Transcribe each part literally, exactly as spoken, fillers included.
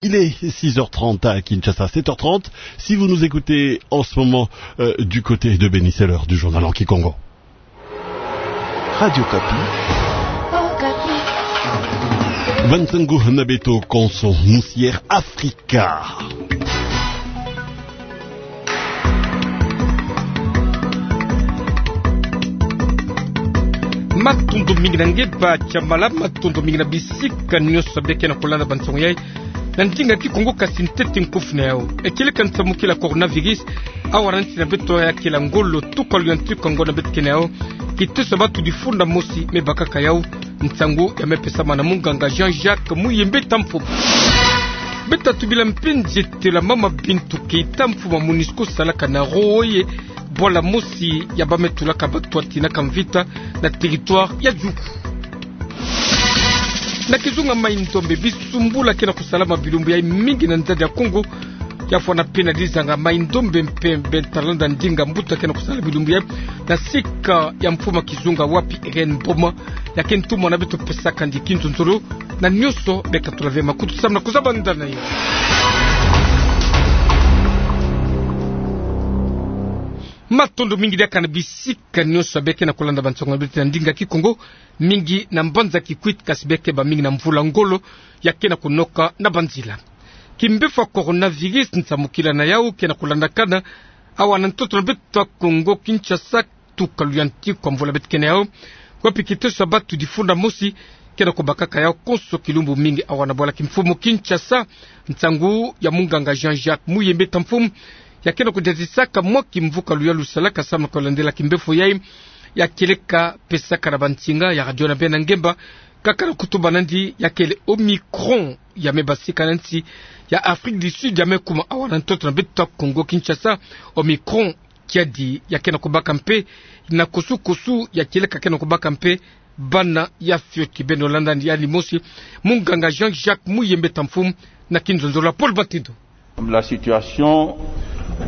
Il est six heures trente à Kinshasa, sept heures trente si vous nous écoutez en ce moment, euh, du côté de Beni, c'est l'heure du journal en kikongo. Radio Okapi. Ba nsangu na beto konso, musière Afrika. Matondo mingi na nge ba tiamala, matondo mingi na bisika nyonso beke na kolanda ba nsangu yai na ndinga kikongo, kasi ntete nkofu na yau. Ekele ka nsamukila coronavirus, awa na nsi na beto ya kela ngolo, tuka luyantika ngo na beto ke na yau. Kiteso ya batu difunda mosi me bakaka yau. Nsangu ya me pesama na munganga Jean-Jacques Muyembe Tamfo. Beta tubila mpe nzietelo ya mama Bintou Keita, mfumu ya MONUSCO salaka na Roye, bwala mosi ya ba me tulaka batu ya tinaka mvita na territoire ya Djugu. Na kizunga Mai-Ndombe, bisumbula ke na kusalama bilumbu yai mingi na nzadi ya Kongo. Ya fwana mpe na dizanga Mai-Ndombe mpe Benta Landa, ndinga mbuta ke na kusala bilumbu yai na sika ya mfumu ya kizunga wapi Irène Mboma. Ya ke ntumwa na beto pesaka ndi kinzonzolo na nyonso beka tula ve makutu samu na kuzaba ndana yo. Matondo mingi diaka na bisika nyonso beke na kolanda ba nsangu na beto na ndinga kikongo, mingi na mbanza Kikwit, kasi beke ba mingi na mvula ngolo ya ke na kunoka na ba nzila. Kimbefo ya coronavirus, nsamukila na yau ke na kulandakana awa na ntoto na beto ya Kongo Kinshasa, tuka luyantika mvula beto ke na yau, wapi kiteso ya batu difunda mosi ke na kubakaka yau konso kilumbu mingi awa na bwala kimfumu Kinshasa. Nsangu ya munganga Jean-Jacques Muyembe Tamfo ya ke na kudiatisaka mwa kimvuka luyalu salaka samu na kulandela kimbefo yai, ya kele ka pesaka na ba nsinga ya radio na bena ngemba, kaka na kutuba nandi ya kele Omicron, ya me basika na nsi ya Afrique du Sud, ya me kuma awa na ntoto na beto ya Kongo Kinshasa. Omicron, kiadi ya ke na kubaka mpe na kusu-kusu, ya kele ka ke na kubaka mpe bana ya fioti. Beno landa yandi mosi, munganga Jean-Jacques Muyembe Tamfo na kinzonzolo ya Paul Batindo. La situation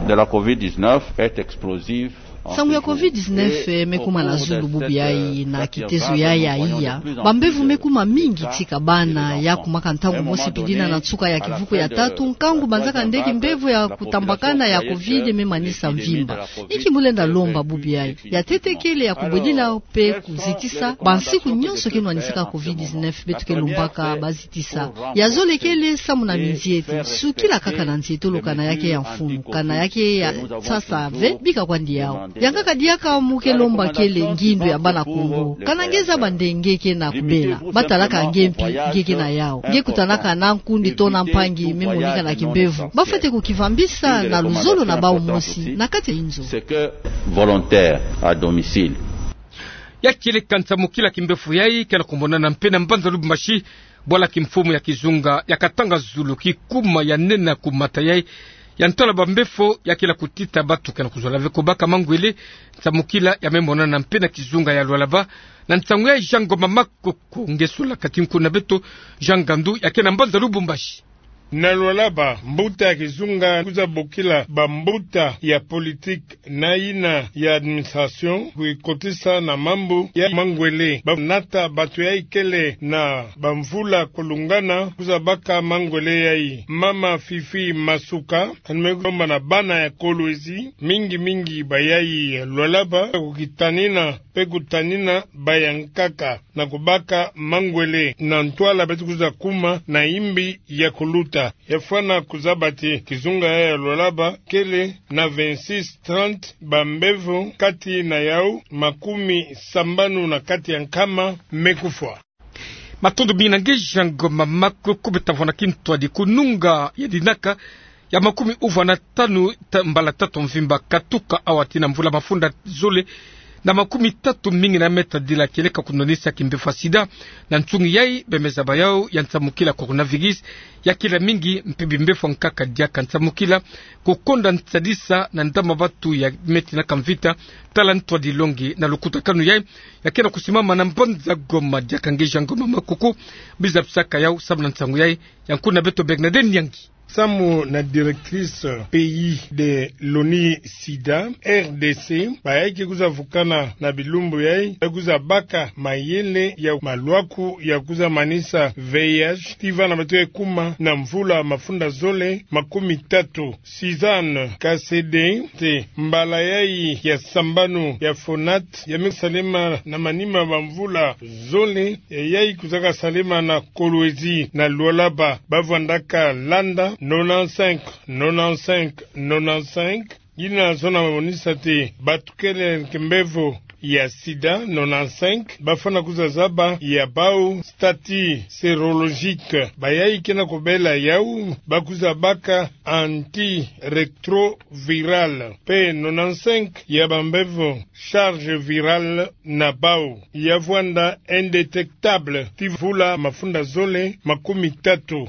de la covid dix-neuf est explosive. Nsangu ya covid dix-neuf me kuma na zulu bubu yai, na kitezo yai ya iya, bambevo me kuma mingi tika bana ya kumaka ntangu mosi pidina na nsuka ya kivuku ya tatu, nkangu banzaka nde kimbevo ya kutambakana ya covid me manisa mvimba. Inki mu lenda lomba bubu yai? Ya ntete kele ya kubwedila mpe kuzitisa bansiku nyonso ke nwanisaka covid dix-neuf, beto ke lombaka bazitisa. Ya zole kele samu na minziete, sukila kaka na nzietolo, kana ya ke ya mfunu, kana ya ke ya sasa ve, bika kwandi yau. Yankaka diaka mu ke lomba kele ngindu ya bana Kongo. Kana nge zaba nde nge ke na kubela, batalaka nge mpi nge ke na yau. Nge kutanaka na nkundi to na mpangi me monika na kimbevo. Bafwete kukivambisa na luzolo na bau mosi na kati ya inzo. C'est que volontaire à domicile. Ya kele ka nsamukila kimbefo yai ke na kumonana mpe na mbanza Lubumbashi, bwala kimfumu ya kizunga ya Katanga Zulu, kikuma ya nene ya kumata yai ya ntwala bambevo ya kele kutita batu ke na kuzola ve kubaka mangwele. Nsamukila ya me monana mpe na kizunga ya Lualaba. Na nsangu yai Jean Ngoma Makoko, nge sula kati nku na beto Jean Ngandu ya ke na mbanza Lubumbashi. Na Lualaba, mbuta ya kizunga kwiza bokila bambuta ya politique na yina ya administration kuyikotisa na mambu ya mangwele. Banata batu yai kele na bamvula kulungana kwiza baka mangwele yai. Mama Fifi Masuka, yandi me lomba na bana ya Kolwezi, mingi-mingi bayai ya Lualaba, kukitanina mpe kutanina bayankaka na kubaka mangwele na ntwala beto kwiza kuma na imbi ya kuluta. Ya fwana kuzaba ti kizunga yai ya Lualaba kele na vingt-six trente bambevo, kati na yau makumi sambanu na kati ya nkama me kufwa. Matondo mingi na nge Jean Ngoma Makoko. Beta vwa na kintwadi, kununga ya dinaka ya makumi uvwa na tanu ta-, mbala tatu mvimba katuka awa tii na mvula mafunda zole na makumi tatu mingi na meta dila kele ka kunwanisa kimbevo ya sida. Na nsungi yai, bemeza bayau ya nsamukila coronavirus ya kele mingi, mpe bimbevo nkaka diaka nsamukila kukonda nsadisa na ndama batu ya me tinaka mvita. Tala ntwadi longi na lukutakanu yai ya ke na kusimama na mbanza Goma. Diaka nge Jean Ngoma Makoko, biza bisaka yau samu na nsangu yai ya nku na beto Bernadette Nyangi. Samu na directrice pays de l'ONU SIDA, R D C, bayayi ke kwiza vukana na bilumbu yayi, ba kwiza baka mayele ya malwaku ya kwiza manisa V I H, tii vana bato ya kuma na mvula mafunda zole makumi tatu. Suzanne Kasede, te mbala yayi ya sambanu ya FONAT, ya me salema na manima ma mvula zole, ya yayi kwizaka salema na Kolwezi na Lualaba, ba vwandaka landa nonante-cinq, nonante-cinq, nonante-cinq. Yina zona monisa te bato kele na kimbevo ya sida, nonante-cinq, bafwana kwiza zaba ya bau statut sérologique. Bayayi ke na kobela yawu, ba kwiza baka antirétroviral. Pe nonante-cinq ya bambevo charge virale na bau, ya vwanda indétectable tii mvula mafunda zole makumi tatu.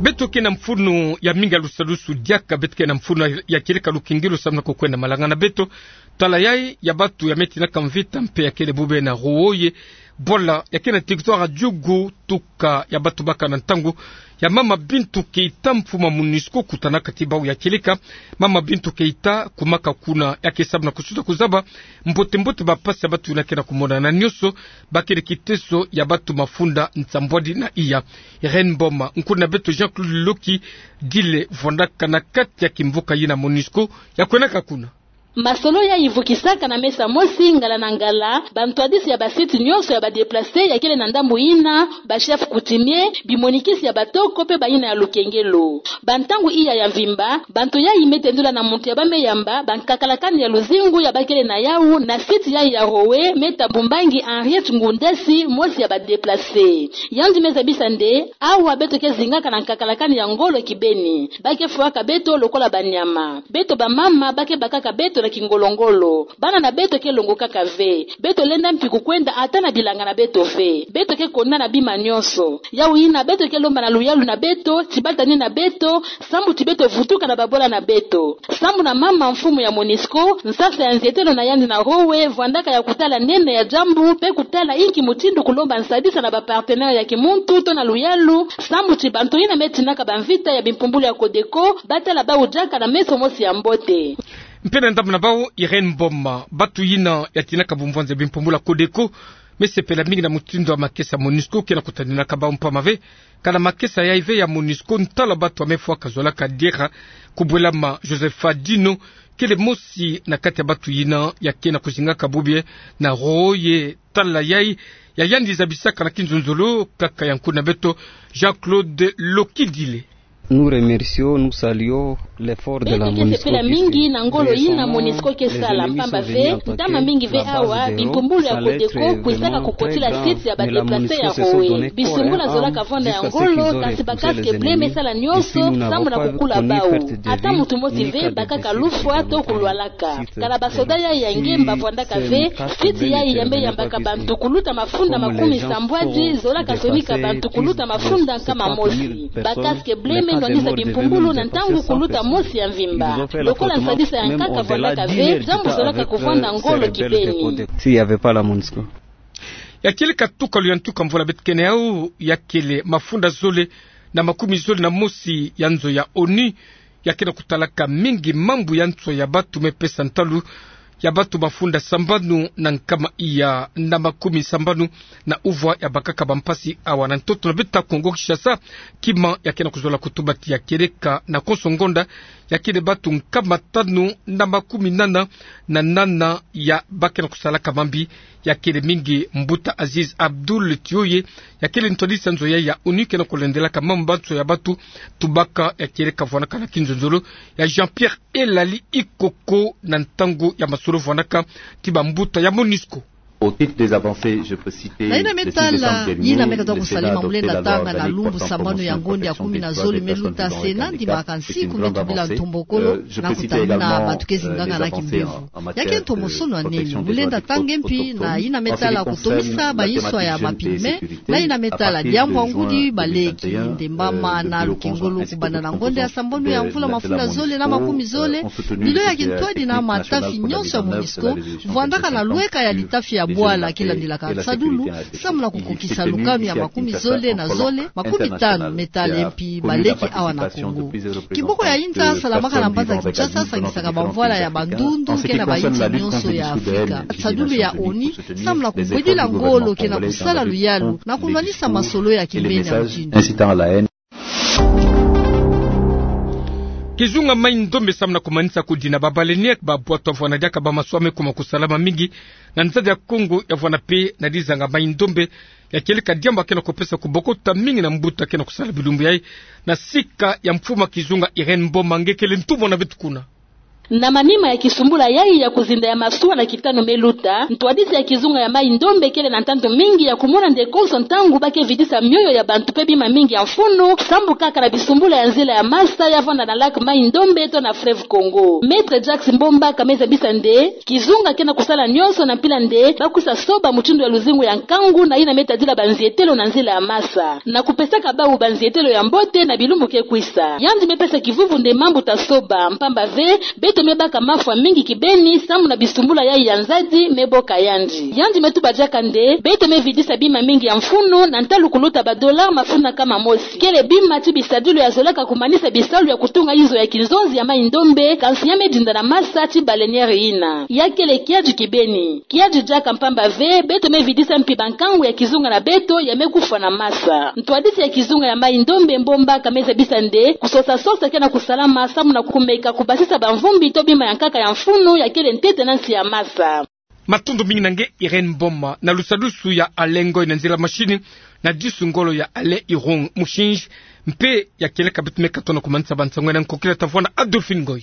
Beto ke na mfunu ya mingi ya lusalusu diaka, beto ke na mfunu ya kieleka lukengelo samu na kukwenda malanga na beto. Tala yayi ya bato ya me tinaka mvita mpe ya kele bobie na Roye, bwala ya ke na territoire ya Djugu, tuka ya bato baka na ntangu ya Mama Bintou Keita, mfumu ya MONUSCO, kutanaka tii bau ya kieleka. Mama Bintou Keita kumaka kuna, ya ke samu na kususa kuzaba mbote-mbote bampasi ya bato yina ke na kumonana nyonso, ba kele kiteso ya bato mafunda nsambwadi na iya. Irène Mboma, nkuna beto Jean-Claude Lokidile, vwandaka na kati ya kimvuka yina MONUSCO, ya kwendaka kuna. Masolo yayi vukisaka na mesa mosi ngala na ngala bantwadisi ya ba site nyonso ya ba déplacés ya kele na ndambu yina, ba chefs coutumiers, bimonikisi ya batoko mpe bayina ya lukengelo. Bantangu iya ya mvimba, bantu yayi me tendula na muntu ya ba me yamba bankakalakani ya luzingu ya ba kele na yawu na site yayi ya Roye, Me Thabo Mbangi Henriette, ngundasi mosi ya ba déplacés. Yandi me zabisa nde: Awa beto ke zingaka na nkakalakani ya ngolo kibeni. Ba ke fwaka beto lokola banyama. Beto bamama ba ke bakaka beto na kingolo-ngolo. Bana na beto ke longokaka ve. Beto lenda mpi kukwenda ata na bilanga na beto ve. Beto ke konda na bima nyonso. Yawu yina beto ke lomba na luyalu na beto, ti ba tani na beto, sambu ti beto vutuka na babwala na beto. Sambu na mama mfumu ya MONUSCO, nsasa ya nzietelo na yandi na Roye vwandaka ya kutala nene ya diambu, mpe kutala inki mutindu kulomba nsadisa na ba partenaires ya kimuntu to na luyalu, sambu ti bantu yina me tinaka bamvita ya bimpumbulu ya CODECO ba tala bau diaka na meso mosi ya mbote. Mpe na ndambu na bau, Irène Mboma, bato yina ya tinaka bumvwanza ya bimpumbulu ya CODECO me sepela mingi na mutindu ya makesa MONUSCO ke na kutaninaka bau, mpamba ve kana makesa yayi ve ya MONUSCO, ntalu ya bato ya me fwaka zolaka diera. Kubwelama Josepha Dino kele mosi na kati ya bato yina ya ke na kuzingaka bobie na Roye. Tala yayi ya yandi zabisaka na kinzonzolo kaka ya nkuna beto Jean-Claude Lokidile. Nous remercions, nous saluons l'effort de la MONUSCO. Beto ke sepela mingi na ngolo yina MONUSCO ke sala, mpamba ve ntama mingi ve awa bimpumbulu ya CODECO kwizaka kukotila site ya ba déplacés ya Roye. Bisungula zolaka vwanda ya ngolo, kasi ba casques bleus me sala nyonso sambu na kukula bau. Ata muntu mosi ve bakaka lufwa to kulwalaka. Kana ba soda yayi ya ngemba vwandaka ve, site yayi ya me yambaka bantu kuluta mafunda makumi sambwadi zolaka sonika bantu kuluta mafunda nkama mosi. Ba casques bleus me nwanisa bimpumbulu na ntangu kuluta mosi ya mvimba. Lokola nsadisa ya nkaka vwandaka ve, diambu zolaka kuvwanda ngolo kibeni. S'il y avait pas la MONUSCO. Ya kieleka tuka luyantika mvula beto ke na yawu, ya kele mafunda zole na makumi zole na mosi ya nzo ya ONU, ya ke na kutalaka mingi mambu ya nswa ya bato, me pesa ntalu ya bato mafunda sambanu na nkama iya na makumi sambanu na uvwa ya bakaka bampasi awa na ntoto na beto Kongo Kinshasa. Kima ya ke na kuzola kutuba ti ya kieleka na konso ngonda, ya kele bato nkama tanu na makumi nana na nana ya ba ke na kusalaka mambi, ya kele mingi mbuta Aziz Abdoul Tioye, ya kele ntwadisi ya nzo ya, ya ONU ke na kulendelaka mambu ma nswa ya bato. Tubaka ya kieleka vwandaka na kinzonzolo ya Jean-Pierre Elali Ikoko na ntangu ya masolo vwandaka ti bambuta ya MONUSCO. Au titre des avancées, je peux citer le six décembre dernier, le Sénat a adopté la loi organique portant constitution de la République. Na yina me tala yina me katuka kusalama, mulenda tanga na lumbu sambanu ya ngonda ya kumi na zole me luta, Sénat a ndimaka nsiku me tubila ntombokolo na kutamina bato ke zinganga na kimbevo. Ya ke ntomosono ya nene. Mulenda tanga mpi na yina me tala kutomisa bayinswa ya mapigments, na yina me tala diambu ya ngudi, baleki, ndembama na lukengolo, kubanda na ngonda ya sambanu ya mvula mafunda zole na makumi zole, bilo ya kintwadi na matafi nyonso ya MONUSCO vwandaka na lweka ya litafi ya Bwala ke landilaka nsadulu samu na kukokisa lukanu ya makumi zole na zole, makumi tanu metale mpi baleke awa na Kongo. Kiboko ya inza salamaka na mbanza Kinshasa sangisaka bamvwala ya bandundu ke na bayinsi nyonso ya Afrika. Nsadulu ya ONU samu na kubwedila ngolo ke na kusala luyalu na kunwanisa masolo ya kimbeni ya mutindu. Kizunga Mai-Ndombe samu na kumanisa kudina ba baleinière ba bwatu avwanda diaka ba maswa me kuma kusalama mingi na nzadi ya Kongo, ya vwanda mpe na dizanga Mai-Ndombe, ya kieleka diambu ke na kupesa kubokota mingi na mbuta ke na kusala bilumbu yai. Na sika ya mfumu a kizunga Irène Mboma, nge kele ntumwa na beto kuna. Na manima ya kisumbula yai ya kuzinda ya masuwa na kitanu me luta, ntwadisi ya kizunga ya Mai-Ndombe kele na ntantu mingi ya kumona nde konso ntangu ba ke vidisa mioyo ya bantu mpe bima mingi ya mfunu, sambu kaka na bisumbula ya nzila ya masa ya vwanda na lac Mai-Ndombe to na fleuve Congo. Maître Jacques Mbomba ka me zabisa nde kizunga ke na kusala nyonso na mpila nde ba kwisa soba mutindu ya luzingu ya nkangu na yina me tadila banzietelo na nzila ya masa, na kupesaka bawu banzietelo ya mbote na bilumbu ke kwisa. Yandi me pesa kivuvu nde mambu ta soba, mpamba ve beto me baka mafwa mingi kibeni samu na bisumbula yai ya nzadi me boka yandi. Yandi me tuba diaka nde beto me vidisa bima mingi ya mfunu, na ntalu kuluta ba dollars mafunu kama mosi. Kele bima ti bisadilu ya zolaka kumanisa bisalu ya kutunga izo ya kinzonzi ya Mai-Ndombe, kansi ya me dinda na masa ti baleinière yina. Ya kele kiadi kibeni. Kiadi diaka mpamba ve beto me vidisa mpi bankangu ya kizunga na beto ya me kufwa na masa. Ntwadisi ya kizunga ya Mai-Ndombe Mbomba ka me zabisa nde kusosa-sosa ke na kusalama samu na kumeka kubasisa bamvumbi to bima ya nkaka ya mfunu ya kele ntete na nsi ya masa. Matondo mingi na nge Irène Mboma. Na lusadusu ya Alain Ngoy na nzila machine, na disu ngolo ya Alain Irung, musinzi mpe ya kieleka beto me katono kumanisa bansangu na nkokila ta vwanda Adolphine Ngoy.